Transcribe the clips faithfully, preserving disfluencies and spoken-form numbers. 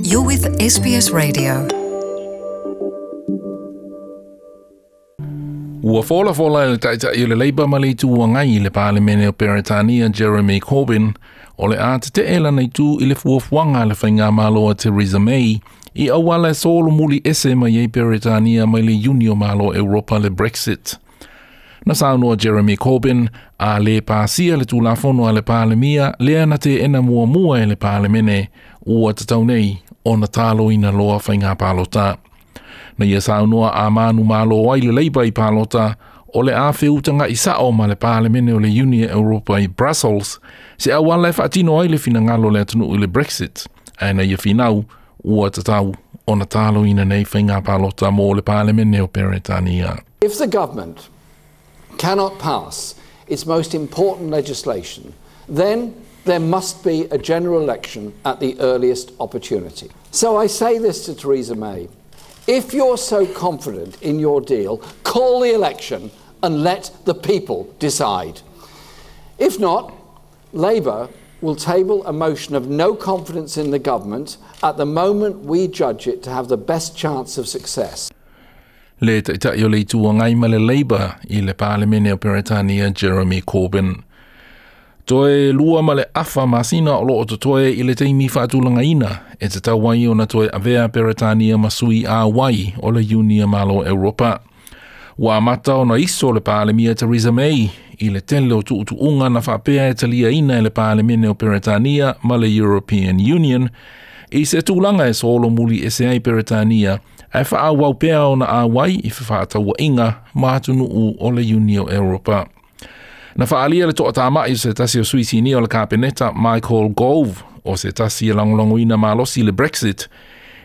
You're with S B S Radio. Ua fola fola le taitai o le Labour ma le itu angai i le Palemene o Peretania Jeremy Corbyn o le a te te elana i tu i le fuafuaga le faigamalo a Theresa May i auala e solomuli ese mai ai Peretania mai le Iuni o Malo Europa le Brexit. Na saunoa Jeremy Corbyn a le pasia le tulafono a le Palemia lea na te ena muamua e le Palemene ua tatau nei o na taloina loa faiga palota. Na ia saunoa a manu malo ai le Labour i palota o le a feutanga i sao ma le Palemene o le Iuni Europa i Brussels se auala e faatino ai le finagalo le atunuu i le Brexit. Ae na ia finau ua tatau o na taloina nei faiga palota mo le Palemene o Peretania. If the government cannot pass its most important legislation, then there must be a general election at the earliest opportunity. So I say this to Theresa May. If you're so confident in your deal, call the election and let the people decide. If not, Labour will table a motion of no confidence in the government at the moment we judge it to have the best chance of success. Le taitai o le itu angai ma le Labour i le Palemene o Peretania Jeremy Corbyn. Toe lua ma le afa masina o loo totoe i le taimi faatulagaina e tatau ai ona toe avea Peretania ma sui a wai o le Iuni Malo Europa. Ua amata ona iso le Palemia Theresa May i le tele o tuutuunga na faapea e taliaina e le Palemene o Peretania ma le European Union i se tulaga e solomuli ese ai Peretania ae faaauau pea ona auai i fefaatauaiga ma atunuu o le Iuni o Europa. Na faalia le toatamai o se tasi o sui sinia o le Kapeneta Michael Gove o se tasi e lagolagoina malosi le Brexit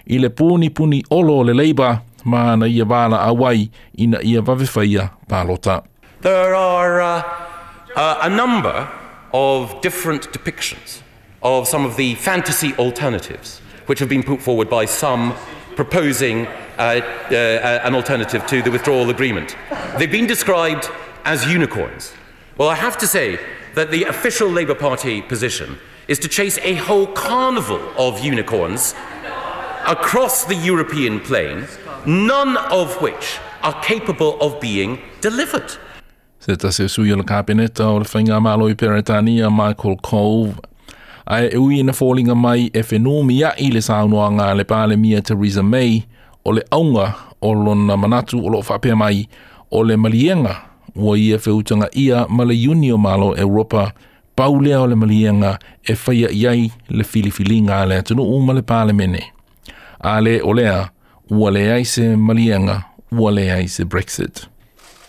i le punipuni olo o le Labour ma na ia vala auai ina ia vavewhaia palota. There are uh, uh, a number of different depictions of some of the fantasy alternatives which have been put forward by some proposing uh, uh, an alternative to the withdrawal agreement. They've been described as unicorns. Well, I have to say that the official Labour Party position is to chase a whole carnival of unicorns across the European plane, none of which are capable of being delivered. Se tasi o sui o le Kapeneta o le Faigamalo i Peretania Michael Gove. Ae e ui ina fōlinga mai e whenumi ai le saunoaga a le Palemia Theresa May o le aunga o lona manatu o loo faapea mai o le malienga ua ia feutanga ia ma le Iuni o Malo Europa pau lea o le malienga e whaia iai le filifiliga a le atunuu ma le Palemene. A le o lea, ua leai se malienga, ua leai se Brexit.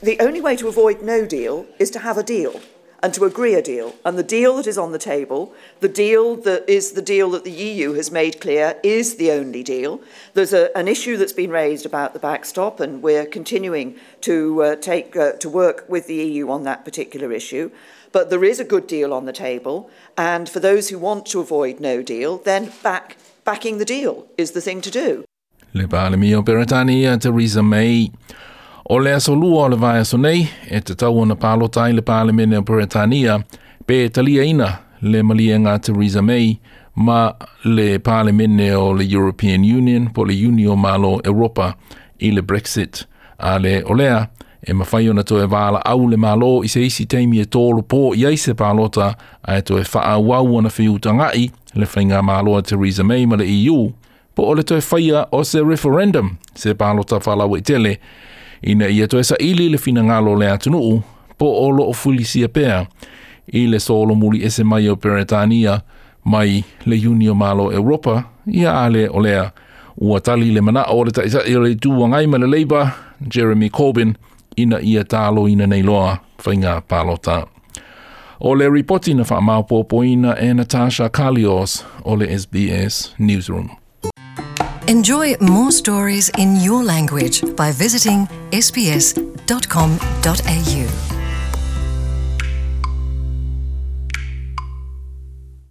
The only way to avoid no deal is to have a deal and to agree a deal. And the deal that is on the table, the deal that is the deal that the E U has made clear is the only deal. There's a, an issue that's been raised about the backstop, and we're continuing to uh, take uh, to work with the E U on that particular issue. But there is a good deal on the table, and for those who want to avoid no deal, then back, backing the deal is the thing to do. Le Palemia o Peretania Theresa May. O le aso lua o le vaiaso nei, e tatau ona palota ai le Palemene o Peretania, pe taliaina le malienga Theresa May ma le Palemene o le European Union po le Iuni o Malo Europa i le Brexit. A le olea, e mawhai ona toe vala au le malo i se isi taimi e tōlo pō i ai se palota ae toe faaauau ona feutagai le faigamalo a Theresa May ma le E U, po o le toe whaia o se referendum se palota faalauaitele ina ia toe saili le finagalo le atunuu po o loo fulisia pea i le solomuli ese mai o Peretania mai le Iuni o Malo Europa ia ale o lea ua tali le manao o le taitai o le itu angai ma le Labour Jeremy Corbyn ina ia taloina nei loa faiga palota. O le ripoti na faamaopoopoina e Natasha Kalios o le S B S Newsroom. Enjoy more stories in your language by visiting S B S dot com dot A U.